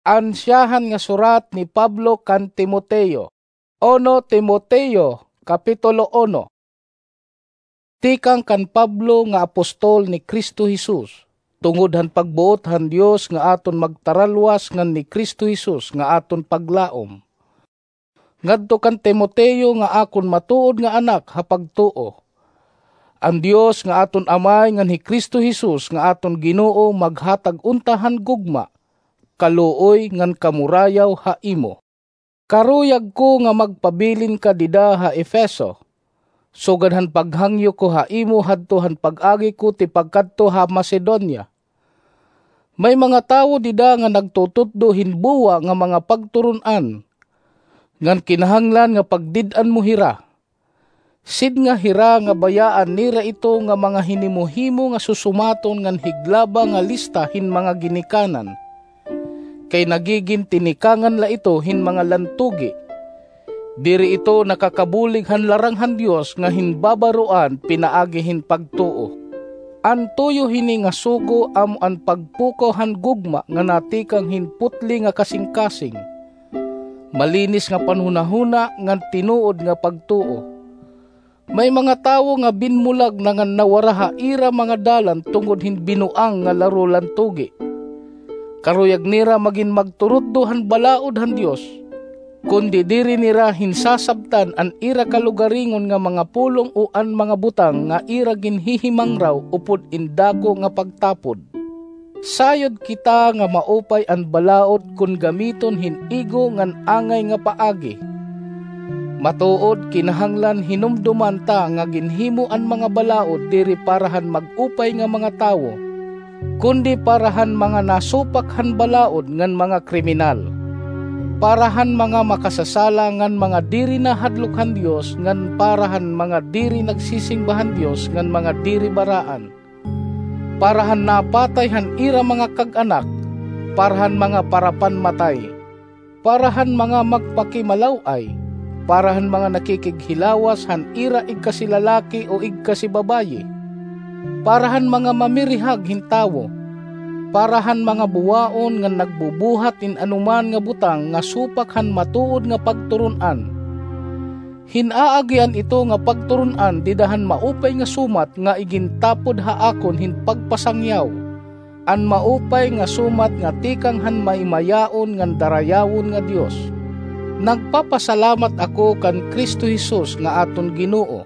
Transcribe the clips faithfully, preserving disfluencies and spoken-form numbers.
An syahan nga surat ni Pablo kan Timoteo. Uno Timoteo, Kapitulo uno. Tikang kan Pablo nga apostol ni Cristo Jesus, tungod han pagbuot han Dios nga aton magtaralwas ngan ni Cristo Jesus nga aton paglaom. Ngadto kan Timoteo nga akon matuod nga anak ha pagtuo. An Dios nga aton Amay ngan hi Cristo Jesus nga aton Ginoo maghatag unta han gugma, kaluoy ngan kamurayaw ha imo. Karuyag ko nga magpabilin ka dida ha Efeso, sugad han paghangyo ko ha imo hadto han pag-agi ko tipakadto ha Macedonia. May mga tawo dida nga nagtututdo hin buwa nga mga pagturon-an, ngan kinahanglan nga pagdid-an mo hira. Sidnga hira nga bayaan nira ito nga mga hinimo-himo nga susumaton ngan higlaba nga lista hin mga ginikanan, kay nagigin tinikangan la ito hin mga lantugi. Diri ito nakakabulig han larangan han Dios nga hin babaroan pinaagi hin pagtuo. An tuyo hini nga sugo amo an pagpukaw han gugma nga natikang hin putli nga kasingkasing, malinis nga panhunahuna ngan tinuod nga pagtuo. May mga tawo nga binmulag na ngan nawara ha ira mga dalan tungod hin binuang nga laro lantugi. Karuyag nira magin magturutdo han balaod han Dios, kundi diri nira hinsasabtan an ira kalugaringon nga mga pulong o an mga butang nga ira ginhihimangraw upod in dako nga pagtapod. Sayod kita nga maupay an balaod kon gamiton hin igo ngan angay nga paagi. Matuod, kinahanglan hinumdoman ta nga ginhimo an mga balaod diri para han mag-upay nga mga tawo, kundi para han mga nasupak han balaod ngan mga kriminal, para han mga makasasala ngan mga diri nahadlok han Dios, ngan para han mga diri nagsisimba han Dios ngan mga diri baraan, para han napatay han ira mga kag-anak, para han mga parapanmatay, para han mga magpakimalaw-ay, para han mga nakikighilawas han ira igkasilalaki o igkasibabaye, para han mga mamirihag hin tawo, para han mga buwaon ngan nagbubuhat hin anoman nga butang nga supak han matuod nga pagturon-an. Hin aagian ito nga pagturon-an dida han maupay nga sumat nga igintapod ha akon hin pagpasangyaw, an maupay nga sumat nga tikang han maimayaon ngan darayawon nga Dios. Nagpapasalamat ako kan Cristo Jesus nga aton Ginoo,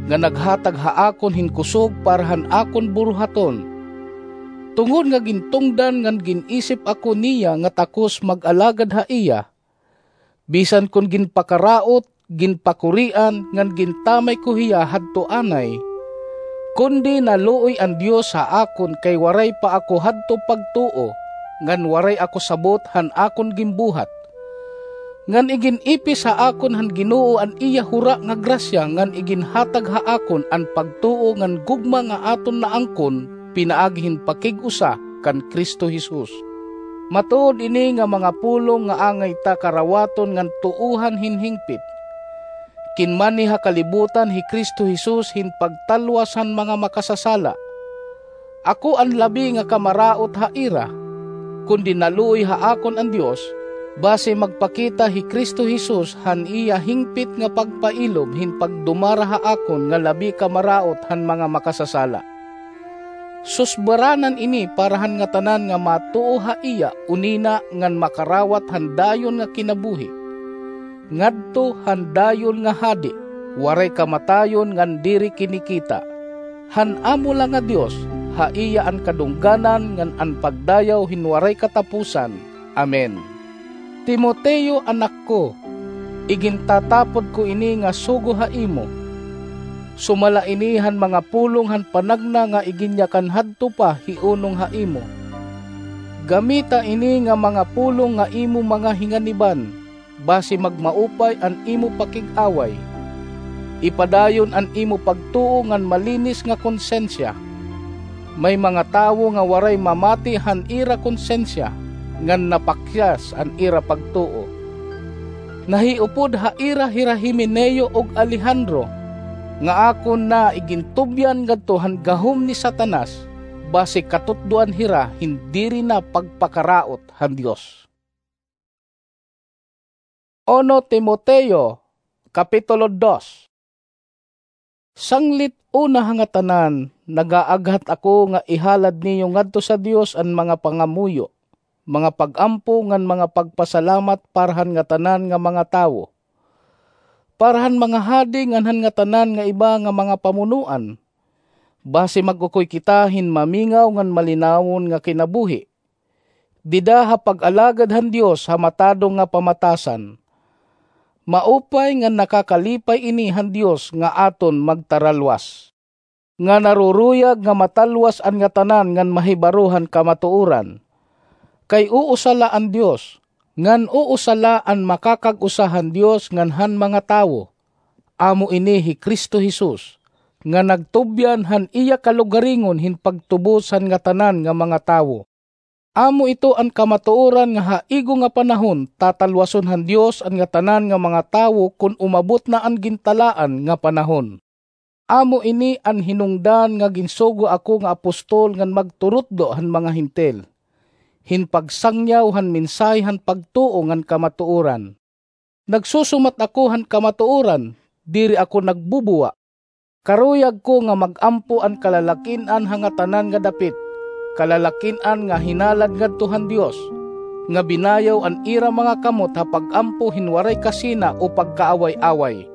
nga naghatag ha akon hin kusog para han akon buruhaton, tungod nga gintungdan ngan gin-isip ako niya nga takos mag-alagad ha iya, bisan kon ginpakaraot, ginpakurian, ngan gintamay ko hiya hadto anay, kundi naluoy an Dios ha akon kay waray pa ako hadto pagtuo, ngan waray ako sabot han akon ginbuhat. Ngan igin-ipis ha akon han Ginoo an iya hura nga grasya ngan iginhatag ha akon an pagtuo ngan gugma nga aton naangkon pinaagi hin pakig-usa kan Cristo Jesus. Matuod ini nga mga pulong nga angay ta karawaton ngan tuohan hin hingpit. Kinmanhi ha kalibutan hi Cristo Jesus hin pagtalwas han mga makasasala. Ako an labi nga kamaraot ha ira, kundi naluoy ha akon an Dios, basi magpakita hi Cristo Jesus han iya hingpit nga pagpailob hin pagdumara ha akon nga labi kamaraot han mga makasasala. Susbaranan ini para han ngatanan nga matuo ha iya unina ngan makarawat han dayon nga kinabuhi, ngadto han dayon nga hadi, waray kamatayon ngan diri kinikita, han amo la nga Dios, ha iya an kadungganan ngan an pagdayaw hin waray kataposan. Amen. Timoteo, anak ko, igintatapod ko ini nga sugo ha imo. Sumala ini han mga pulong han panagna nga iginyakan hadto pa hi unong ha imo. Gamita ini nga mga pulong nga imo mga hinganiban, basi magmaupay an imo pakig-away. Ipadayon an imo pagtuo ngan malinis nga konsensya. May mga tawo nga waray mamati han ira konsensya, ngan napakyas an ira pagtuo. Nahiupod ha ira hira Himeneo ug Alejandro, nga akon na igintubyan ngadto han gahom ni Satanas, basi katutdoan hira hin diri na pagpakaraot han Dios. Uno Timoteo, Kapitulo dos. Sanglit una ha ngatanan, nagaaghat ako nga ihalad niyo ngadto sa Dios an mga pangamuyo, mga pag-ampo ngan mga pagpasalamat para han ngatanan nga mga tawo, para han mga hadi ngan han ngatanan nga iba nga mga pamunoan, basi mag-ukoy kita hin mamingaw ngan malinawon nga kinabuhi dida ha pag-alagad han Dios ha matadong nga pamatasan. Maupay ngan nakakalipay ini han Dios nga aton magtaralwas, nga naruruyag nga matalwas an ngatanan ngan mahibaro han kamatuoran. Kay uusa la an Dios, ngan uusa la an makakag-usa han Dios ngan han mga tawo. Amo ini hi Cristo Jesus, nga nagtubyan han iya kalugaringon hin pagtubos han ngatanan nga mga tawo. Amo ito an kamatuoran nga ha igo nga panahon tatalwason han Dios an ngatanan nga mga tawo kon umabot na an gintalaan nga panahon. Amo ini an hinungdan nga ginsugo ako nga apostol ngan magturutdo han mga Hentil, hin pagsangyaw han mensahe han pagtuo ngan kamatuoran. Nagsusumat ako han kamatuoran, diri ako nagbubuwa. Karuyag ko nga mag-ampo an kalalakin-an ha ngatanan nga dapit, kalalakin-an nga hinalad ngadto han Dios, nga binayaw an ira mga kamot ha pag-ampo hin waray kasina o pagkaaway-away.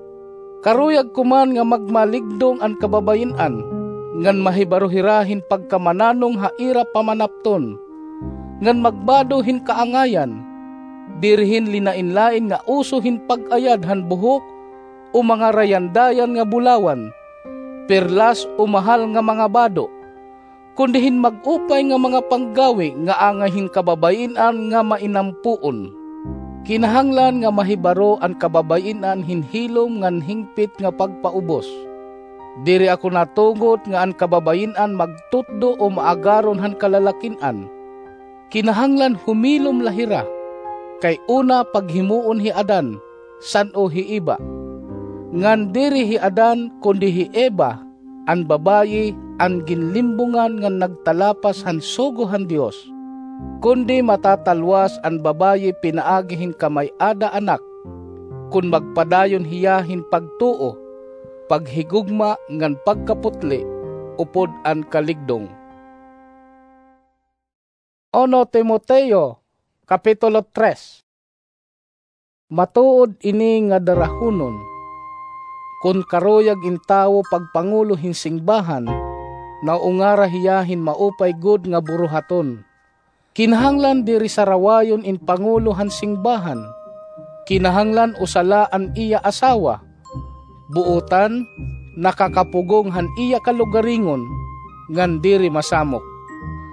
Karuyag ko man nga magmaligdong an kababayin-an, ngan mahibaro hira hin pagkamananong ha ira pamanapton, ngan magbado hin kaangayan, diri hin linain-lain nga uso hin pag-ayad han buhok o mga rayandayan nga bulawan, perlas o mahal nga mga bado, kundi hin mag-upay nga mga panggawi nga angay hin kababayin-an nga mainampoon. Kinahanglan nga mahibaro an kababayin-an hin hilom ngan hingpit nga pagpaubos. Diri ako natugot nga an kababayin-an magtutdo o maagaron han kalalakin-an. Kinahanglan humilom la hira, kay una paghimuon hi Adan, san-o hi Eva. Ngan diri hi Adan, kundi hi Eva, an babayi, an ginlimbongan ngan nagtalapas han sugo han Dios. Kundi matatalwas an babayi pinaagi hin kamay-ada anak, kon magpadayon hiya hin pagtuo, paghigugma ngan pagkaputli, upod an kaligdong. Uno Timoteo, Kapitulo tres. Matuod ini nga darahunon, kon karuyag in tawo pagpangulo hin singbahan, naungara hiya hin maupay gud nga buruhaton. Kinahanglan diri sarawayon in pangulo han singbahan. Kinahanglan usa la an iya asawa, buotan, nakakapugong han iya kalugaringon, ngan diri masamok.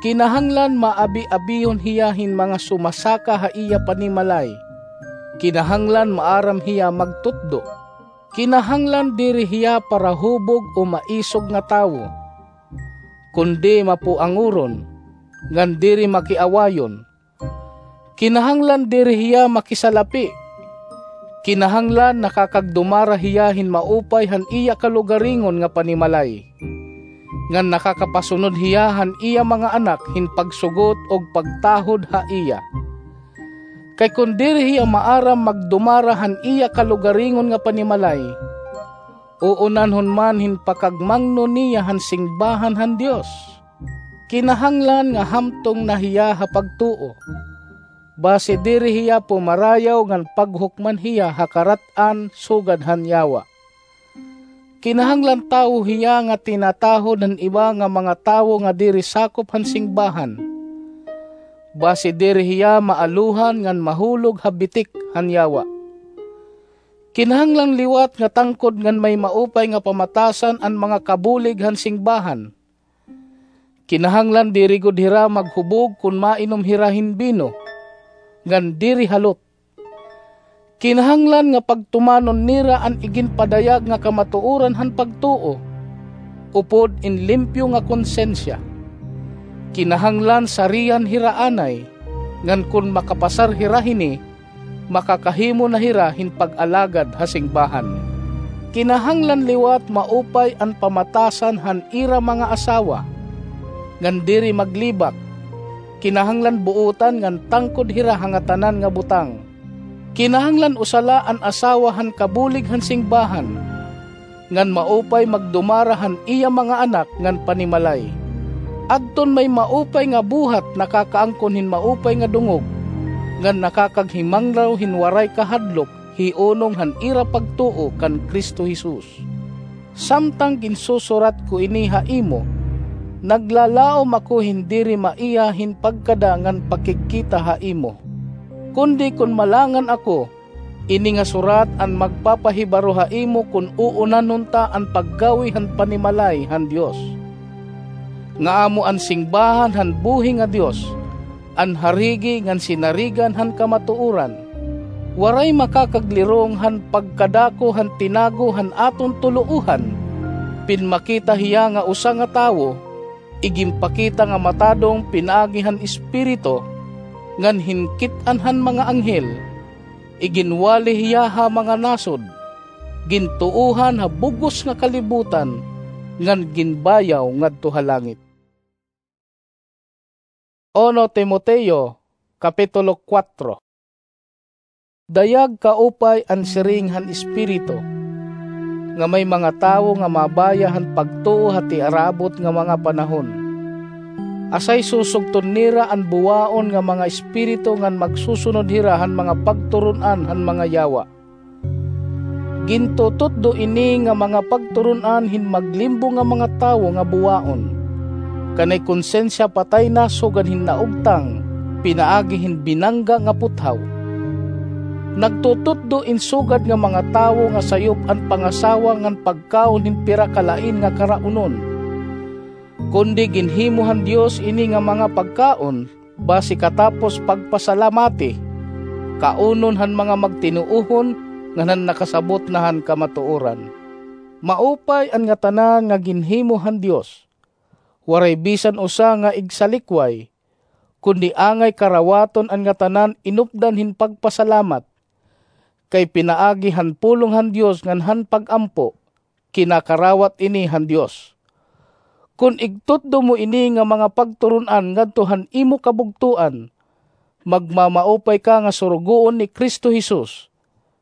Kinahanglan maabi-abihon hiya hin mga sumasaka ha iya panimalay. Kinahanglan maaram hiya magtutdo. Kinahanglan diri hiya parahubog o maisog nga tawo, kundi mapuangoron, ngan diri makiawayon. Kinahanglan diri hiya makisalapi. Kinahanglan nakakagdumara hiya hin maupay han iya kalugaringon nga panimalay, ngan nakakapasunod hiya han iya mga anak hin pagsugot ug pagtahod ha iya. Kay kon diri hiya maaram magdumara han iya kalugaringon nga panimalay, uunanhon man hin pakagmangno niya han singbahan han Dios. Kinahanglan nga hamtong na hiya ha pagtuo, basi diri hiya pumarayaw ngan paghukman hiya ha karat-an sugad han yawa. Kinahanglan tawo hiya nga tinatahod han iba nga mga tawo nga diri sakop han singbahan, basi diri hiya maaluhan ngan mahulog ha bitik han yawa. Kinahanglan liwat nga tangkod ngan may maupay nga pamatasan an mga kabulig han singbahan. Kinahanglan diri gud hira maghubog kon mainom hira hin bino, ngan diri halot. Kinahanglan nga pagtumanon nira an iginpadayag nga kamatuoran han pagtuo, upod in limpyo nga konsensiya. Kinahanglan sarian hira anay, ngan kon makapasar hira hini, makakahimo na hira hin pag-alagad ha singbahan. Kinahanglan liwat maupay an pamatasan han ira mga asawa, ngan diri maglibak. Kinahanglan buotan ngan tangkod hira ha ngatanan nga butang. Kinahanglan usa la an asawa han kabulig han singbahan, ngan maupay magdumara han iya mga anak ngan panimalay. Adton may maupay nga buhat nakakaangkon hin maupay nga dungog, ngan nakakaghimanglaw hin waray kahadlok hiunong han ira pagtuo kan Cristo Jesus. Samtang ginsusurat ko ini ha imo, naglalaom ako hin diri maiha hin pagkada ngan pakigkita ha imo. Kundi kon malangan ako, ini nga surat an magpapahibaro ha imo kon uunanhon ta an paggawi han panimalay han Dios, nga amo an singbahan han buhi nga Dios, an harigi ngan sinarigan han kamatuoran. Waray makakaglirong han pagkadako han tinago han aton tuloohan. Pinmakita hiya nga usa nga tawo, iginpakita nga matadong pinaagi han Espiritu, ngan hinkit-an han mga anghel. Iginwali hiya ha mga nasod, gintuohan ha bug-os nga kalibutan, ngan ginbayaw ngadto ha langit. Uno Timoteo, Kapitulo kuwatro. Dayag kaupay an siring han Espiritu, nga may mga tawo nga mabaya han pagtuo ha tiarabot nga mga panahon. Asay susugton nira an buwaon nga mga espiritu ngan magsusunod hira han mga pagturon-an han mga yawa. Gintututdo ini nga mga pagturon-an hin maglimbo nga mga tawo nga buwaon. Kanay konsensya patay na sugad hin naugtang, pinaagi hin binangga nga puthaw. Nagtututdo in sugad nga mga tawo nga sayop an pangasawa ngan pagkaon hin pira ka lain nga karaunon. Kundi ginhimo han Dios ini nga mga pagkaon, basi katapos pagpasalamati, kaunon han mga magtinuohon ngan han nakasabot na han kamatuoran. Maupay an ngatanan nga ginhimo han Dios. Waray bisan usa nga igsalikway, kundi angay karawaton an ngatanan inupdan hin pagpasalamat, kay pinaagi han pulong han Dios ngan han pag-ampo, kinakarawat ini han Dios. Kon igtutdo mo ini nga mga pagturon-an ngadto han imo kabugtoan, magmamaupay ka nga surugoon ni Cristo Jesus,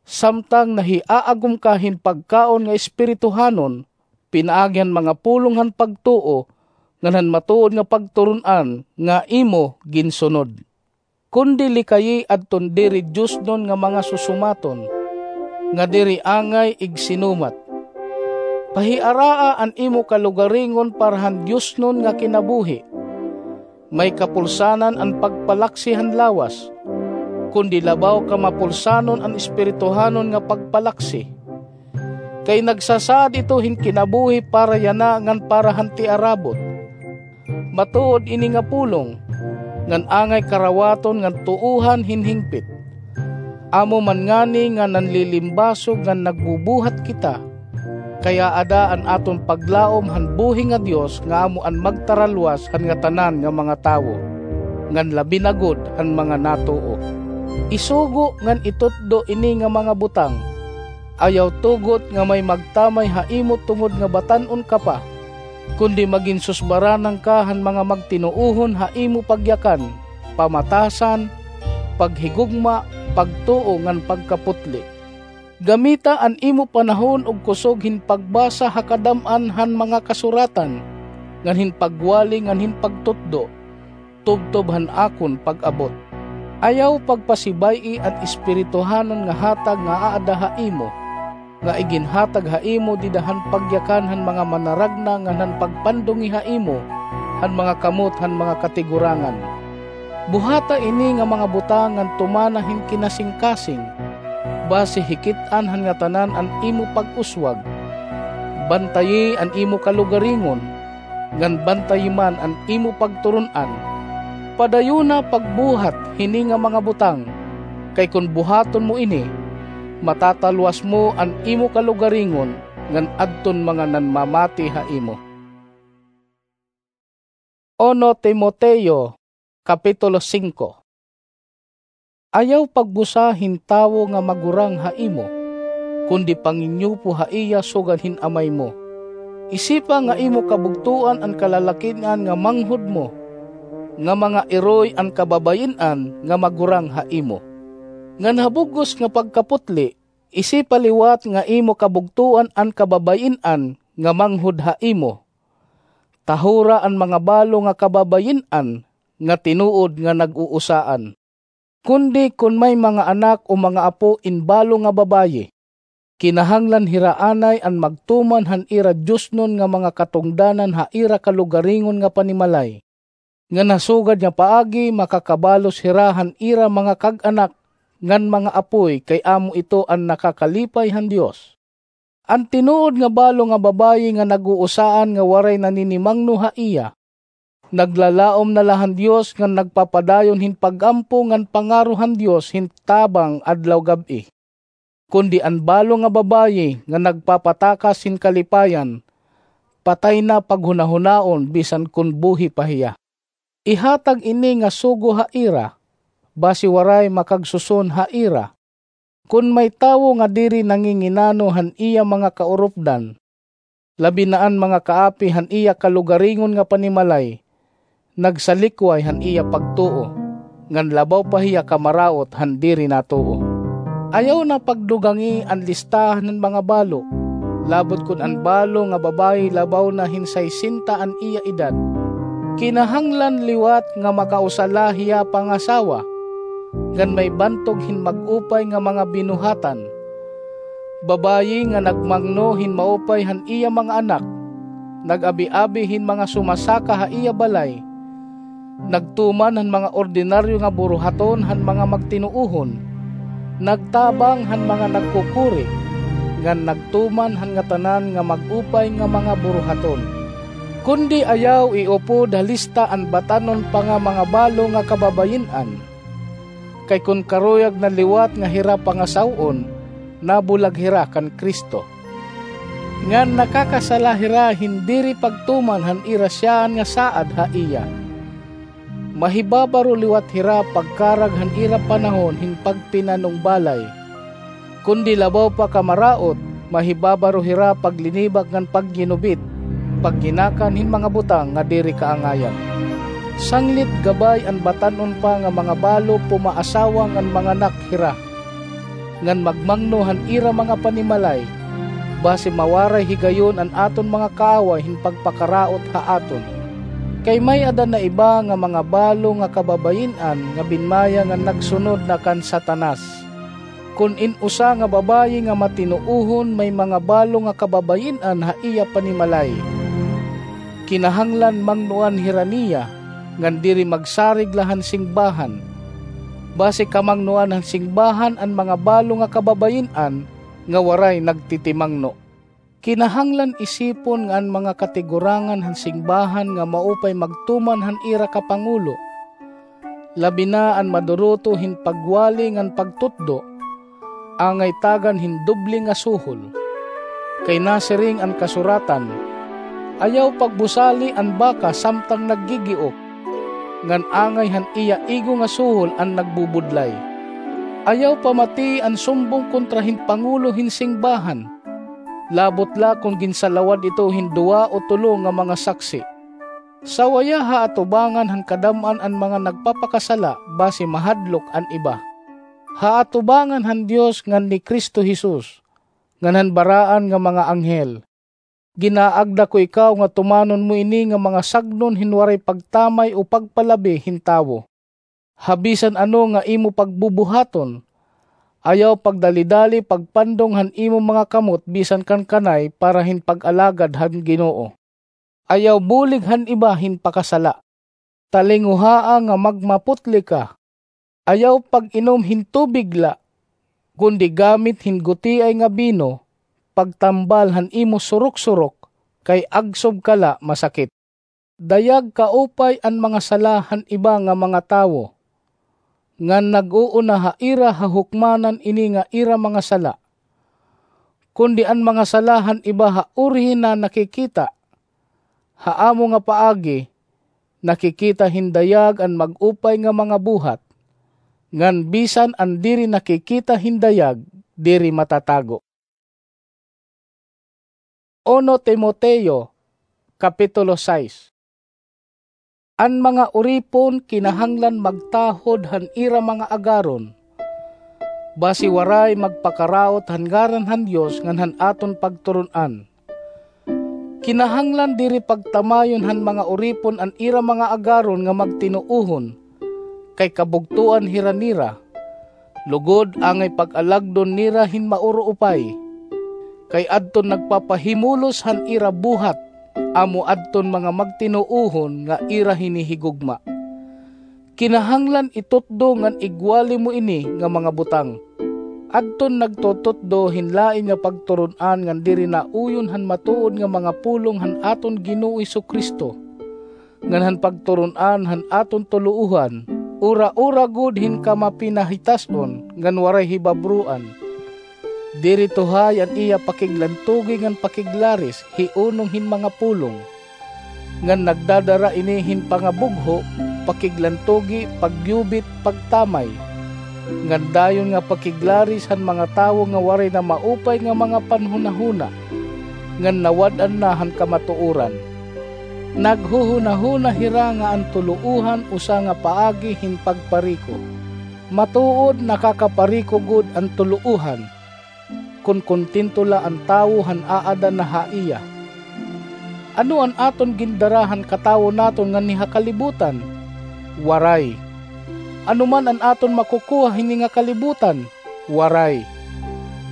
samtang nahiaagom ka hin pagkaon nga espirituhanon, pinaagi han mga pulong han pagtuo ngan han matuod nga pagturon-an nga imo ginsunod. Kundi likayi adton diri diosnon nga mga susumaton, nga diri angay igsinumat. Pahiaraa an imo kalugaringon para han diosnon nga kinabuhi. May kapulsanan an pagpalaksi han lawas, kundi labaw ka mapulsanon an espirituhanon nga pagpalaksi. Kay nagsasaad ito hin kinabuhi para yana ngan para han tiarabot. Matuod ini nga pulong, ngan angay karawaton ngan tuohan hin hingpit. Amo man ngani nga nanlilimbasog ngan nagbubuhat kita, kay aada an aton paglaom han buhi nga Dios nga amo an magtaralwas han ngatanan nga mga tawo, ngan labi na gud han mga natuo. Isugo ngan itutdo ini nga mga butang. Ayaw tugot nga may magtamay ha imo tungod nga batan-on ka pa, kundi magin susbaranan ka han mga magtinuohon ha imo pagyakan, pamatasan, paghigugma, pagtuo ngan pagkaputli. Gamita an imo panahon ug kusog hin pagbasa ha kadam-an han mga kasuratan, ngan hin pagwali ngan hin pagtutdo, tubtob han akon pag-abot. Ayaw pagpasibay-i an espirituhanon nga hatag nga aada ha imo, nga iginhatag ha imo dida han pagyakan han mga manaragna ngan han pagpandungi ha imo han mga kamot han mga katigurangan. Buhata ini nga mga butang ngan tumana hin kinasingkasing, basi hikit-an han ngatanan an imo pag-uswag. Bantayi an imo kalugaringon, ngan bantayi man an imo pagturon-an. Padayona pagbuhat hini nga mga butang, kay kon buhaton mo ini, matatalwas mo an imo kalugaringon ngan adton mga nanmamati ha imo. Uno Timoteo, Kapitulo singko. Ayaw pagbusa hin tawo nga magurang ha imo, kundi panginyupo ha iya sugad hin Amay mo. Isipa nga imo kabugtoan an kalalakin-an nga manghod mo, nga mga iroy an kababayin-an nga magurang ha imo. Ngan ha bug-os nga pagkaputli, isipa liwat nga imo kabugtoan an kababayin-an nga manghod ha imo. Tahura an mga balo nga kababayin-an nga tinuod nga nag-uusaan. Kundi kon may mga anak o mga apo in balo nga babayi, kinahanglan hira anay an magtuman han ira diosnon nga mga katungdanan ha ira kalugaringon nga panimalay, ngan ha sugad nga paagi makakabalos hira han ira mga kag-anak ngan mga apoy, kay amo ito an nakakalipay han Dios. An tinuod nga balo nga babayi nga nag-uusaan nga waray naninimangno ha iya, naglalaom na la han Dios ngan nagpapadayon hin pag-ampo ngan pangaro han Dios hin tabang adlaw gab-i. Kundi an balo nga babayi nga nagpapatakas hin kalipayan, patay na paghunahunaon bisan kon buhi pa hiya. Ihatag ini nga sugo ha ira, basi waray makagsuson ha ira. Kon may tawo nga diri nanginginano han iya mga kaurupdan, labi na an mga kaapi han iya kalugaringon nga panimalay, nagsalikway han iya pagtuo, ngan labaw pa hiya kamaraot han diri natuo. Ayaw na pagdugangi an listahan han mga balo, labot kon an balo nga babayi labaw na hin saysenta an iya edad. Kinahanglan liwat nga makausa la hiya pangasawa, ngan may bantog hin mag-upay nga mga binuhatan. Babayi nga nagmangno hin maupay han iya mga anak, nag-abi-abi hin mga sumasaka ha iya balay, nagtuman han mga ordinaryo nga buruhaton han mga magtinuohon, nagtabang han mga nagkukuri, ngan nagtuman han ngatanan nga mag-upay nga mga buruhaton. Kundi ayaw iupod ha lista an batan-on pa nga mga balo nga kababayin-an. Kay kon karuyag na liwat nga hira pangasaw-on, nabulag hira kan Cristo. Ngan nakakasala hira hin diri pagtuman han ira siyaan nga saad ha iya. Mahibabaro liwat hira pagkarag han ira panahon hin pagpinanungbalay. Kundi labaw pa kamaraot, mahibabaro hira paglinibak ngan pagginubit, pagnginakan hin mga butang nga diri kaangayan. Sanglit gabay an batan-on pa nga mga balo pumaasawa ngan manganak hira, ngan magmangno han ira mga panimalay, basi mawaray higayon an aton mga kaaway hin pagpakaraot ha aton. Kay may-ada na iba nga mga balo nga kababayin-an nga binmaya ngan nagsunod na kan Satanas. Kon in usa nga babayi nga matinuohon may mga balo nga kababayin-an ha iya panimalay, kinahanglan mangnoan hira niya, ngan diri magsarig la han singbahan. Basi kamangnoan han singbahan an mga balo nga kababayin-an nga waray nagtitimangno. Kinahanglan isipon nga an mga katigurangan han singbahan nga maupay magtuman han ira kapangulo, labi na an maduruto hin pagwali ngan pagtutdo, angay tagan hin doble nga suhol. Kay nasiring an kasuratan, "Ayaw pagbusali an baka samtang naggigiok, ngan angay han iya igo nga suhol an nagbubudlay." Ayaw pamatii an sumbong kontra hin pangulo hin singbahan, labot la kon ginsalawad ito hin duwa o tulo nga mga saksi. Sawaya ha atubangan han kadam-an an mga nagpapakasala basi mahadlok an iba. Ha atubangan han Dios ngan ni Cristo Jesus, ngan han baraan nga mga anghel, ginaagda ko ikaw nga tumanon mo ini nga mga sagnon hin waray pagtamay o pagpalabi hin tawo. Ha bisan ano nga imo pagbubuhaton, ayaw pagdalidali pagpandong han imo mga kamot bisan kan kanay para hin pag-alagad han Ginoo. Ayaw bulig han iba hin pakasala. Talinguhaa nga magmaputli ka. Ayaw pag-inom hin tubig la, kundi gamit hin gutiay nga bino, pagtambal han imo surok-surok, kay agsob ka la masakit. Dayag kaupay an mga sala han iba nga mga tawo, ngan nag-uuna ha ira ha hukmanan ini nga ira mga sala. Kundi an mga sala han iba ha urihi na nakikita, ha amo nga paagi, nakikita hin dayag an mag-upay nga mga buhat, ngan bisan an diri nakikita hin dayag, diri matatago. Uno Timoteo, Kapitulo sais. An mga uripon kinahanglan magtahod han ira mga agaron, basi waray magpakaraot han ngaran han Dios ngan han aton pagturon-an. Kinahanglan diri pagtamayon han mga uripon an ira mga agaron nga magtinuohon, kay kabugtoan hira nira. Lugod angay pag-alagdon nira hin mauruupay, kay adton nagpapahimulos han ira buhat, amo adton mga magtinuohon nga ira hinihigugma. Kinahanglan itutdo ngan igwali mo ini nga mga butang. Adton nagtututdo hin lain nga pagturon-an ngan diri nauyon han matuod nga mga pulong han aton Ginoo Jesu-Cristo, ngan han pagturon-an han aton tuluohan, ura-ura gud hin kamapinahitas-on ngan waray hibabroan. Diri tuhay an iya pakiglantugi ngan pakiglaris hiunong hin mga pulong, ngan nagdadara ini hin pangabugho, pakiglantugi, pagyubit, pagtamay, ngan dayon nga pakiglaris han mga tawo nga waray na maupay nga mga panhunahuna, ngan nawad-an na han kamatuoran. Naghuhunahuna hira nga an tuluohan usa nga paagi hin pagpariko. Matuod, nakakapariko gud an tuluohan, kon kontento la an tawo han aada na ha iya. Ano an aton gindara han katawo naton nganhi ha kalibutan? Waray. Ano man an aton makukuha hini nga kalibutan? Waray.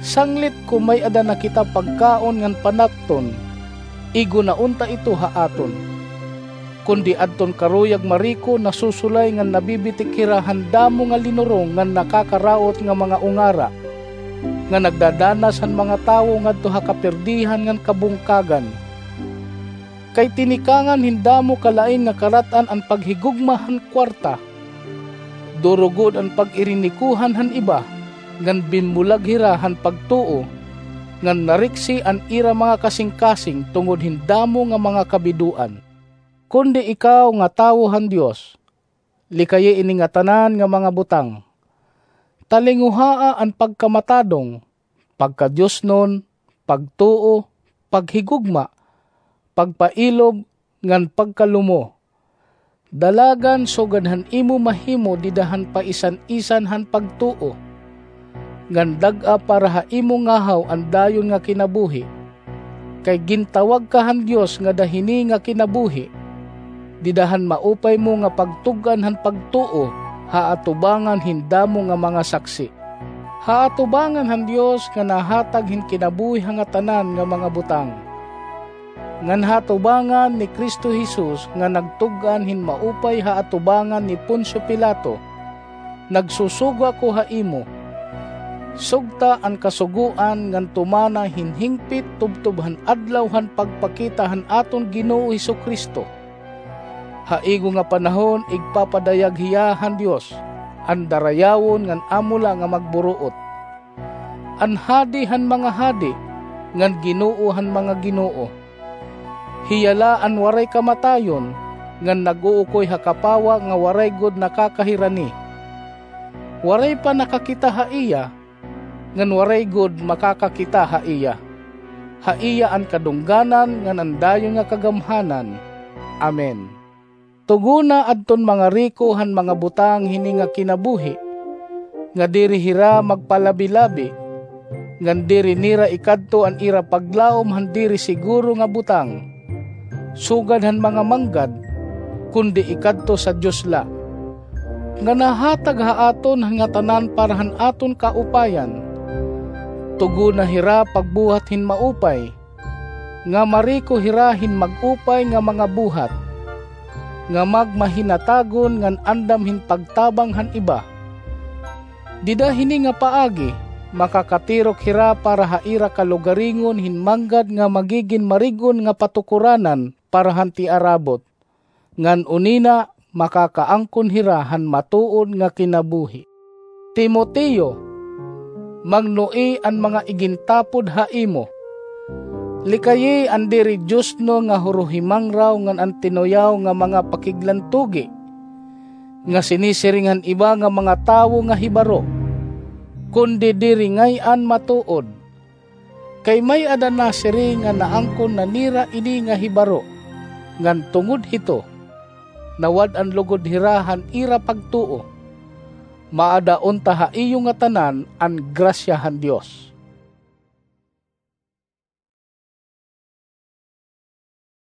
Sanglit kon may-ada na kita pagkaon ngan panapton, igo na unta ito ha aton. Kundi adton karuyag mariko, nasusulay ngan nabibitik hira han damo nga linurong ngan nakakaraot nga mga ungara, nga nagdadanas han mga tawo ngadto ha kapirdihan ngan kabungkagan. Kay tinikangan hin damo kalain nga karat-an an paghigugma han kuwarta. Duro gud an pag-irinikuhan han iba, ngan binmulag hira han pagtuo, ngan nariksi an ira mga kasingkasing tungod hin damo nga mga kabidoan. Kundi ikaw nga tawo han Dios, likayi ini ngatanan nga mga butang. Talinguhaa an pagkamatadong, pagkadiosnon, pagtuo, paghigugma, pagpailob, ngan pagkalumo. Dalagan sugad han imo mahimo dida han paisan-isan han pagtuo, ngan dag-a para ha imo ngahaw an dayon nga kinabuhi. Kay gintawag ka han Dios ngada hini nga kinabuhi, dida han maupay mo nga pagtug-an han pagtuo ha atubangan hin damo nga mga saksi. Ha atubangan han Dios nga nahatag hin kinabuhi ha ngatanan nga mga butang, ngan ha atubangan ni Cristo Jesus nga nagtug-an hin maupay ha atubangan ni Poncio Pilato, nagsusugo ako ha imo. Sugta an kasugoan ngan tumana hin hingpit tubtob han adlaw han pagpakita han aton Ginoo Jesu-Cristo. Ha igo nga panahon igpapadayag hiya han Dios, an darayawon ngan amo la nga magburuot, an Hadi han mga hadi, ngan Ginoo han mga ginoo. Hiya la an waray kamatayon, ngan nag-uukoy ha kapawa nga waray gud nakakahirani. Waray pa nakakita ha iya, ngan waray gud makakakita ha iya. Ha iya an kadungganan ngan an dayon nga kagamhanan. Amen. Tugona adton mga riko han mga butang hini nga kinabuhi, nga diri hira magpalabi-labi, ngan diri nira ikadto an ira paglaom han diri siguro nga butang, sugad han mga manggad, kundi ikadto sa Dios la, nga nahatag ha aton han ngatanan para han aton kaupayan. Tugona hira pagbuhat hin maupay, nga mariko hira hin mag-upay nga mga buhat, nga magmahinatagon ngan andam hin pagtabang han iba. Dida hini nga paagi, makakatirok hira para ha ira kalugaringon hin manggad nga magigin marig-on nga patukoranan para han tiarabot, ngan unina makakaangkon hira han matuod nga kinabuhi. Timoteo, mangnuoi an mga igintapod ha imo. Likayi an diri diosnon nga huruhimangraw ngan an tinuyaw nga mga pakiglantugi, nga sinisiring han iba nga mga tawo nga hibaro, kundi diri ngay-an matuod. Kay may-ada nasiring nga naangkon na nira ini nga hibaro. ngan tungod hito, nawad-an lugod hira han ira pagtuo. Maada unta ha iyo ngatanan an grasya han Dios.